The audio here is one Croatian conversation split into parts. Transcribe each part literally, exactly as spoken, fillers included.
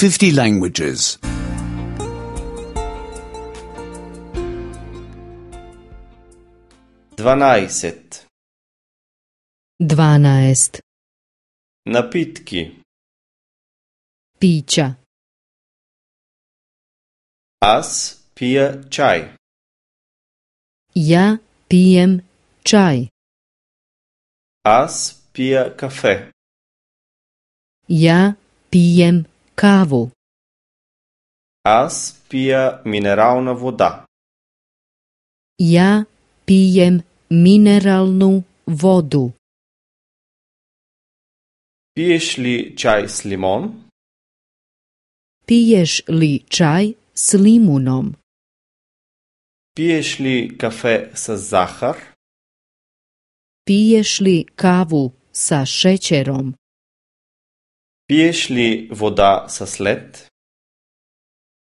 fifty languages. Dvanajset. Dvanaest. Napitki. Pića. Аз пия чай. Ja pijem čaj. Аз пия кафе. Ja pijem kavu. Аз пия минерална вода. Ja pijem mineralnu vodu. Пиеш ли чай с лимон? Piješ li čaj s limunom? Пиеш ли кафе с захар? Piješ li kavu sa šećerom? Пиеш ли вода с лед?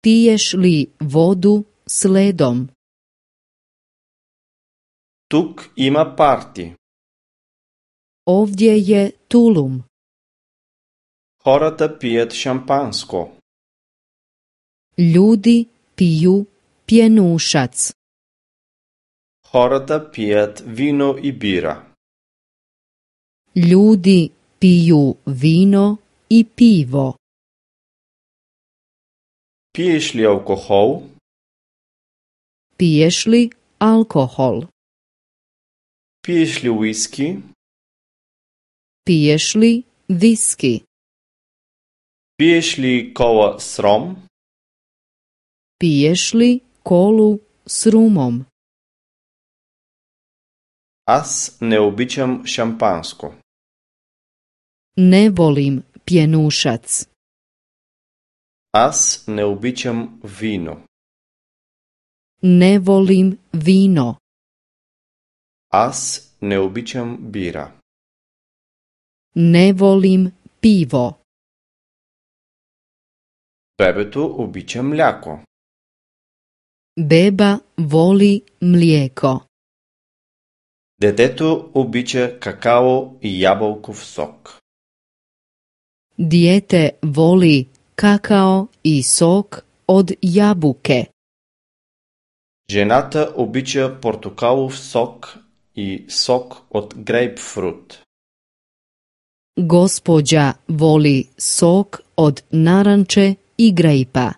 Piješ li vodu s ledom? Тук има парти. Ovdje je tulum. Хората пият шампанско. Ljudi piju pjenušac. Хората пият вино и бира. Ljudi piju vino i pivo. Пиеш ли алкохол? Piješ li alkohol? Пиеш ли уиски? Piješ li viski? Пиеш ли кола с ром? Piješ li kolu s rumom? Аз не обичам шампанско. Ne volim pjenušac. Аз не обичам вино. Ne volim vino. Аз не обичам бира. Ne volim pivo. Бебето обича мляко. Beba voli mlijeko. Детето обича какао и ябълков сок. Dijete voli kakao i sok od jabuke. Жената обича портокалов сок и сок от грейпфрут. Gospođa voli sok od naranče i grejpa.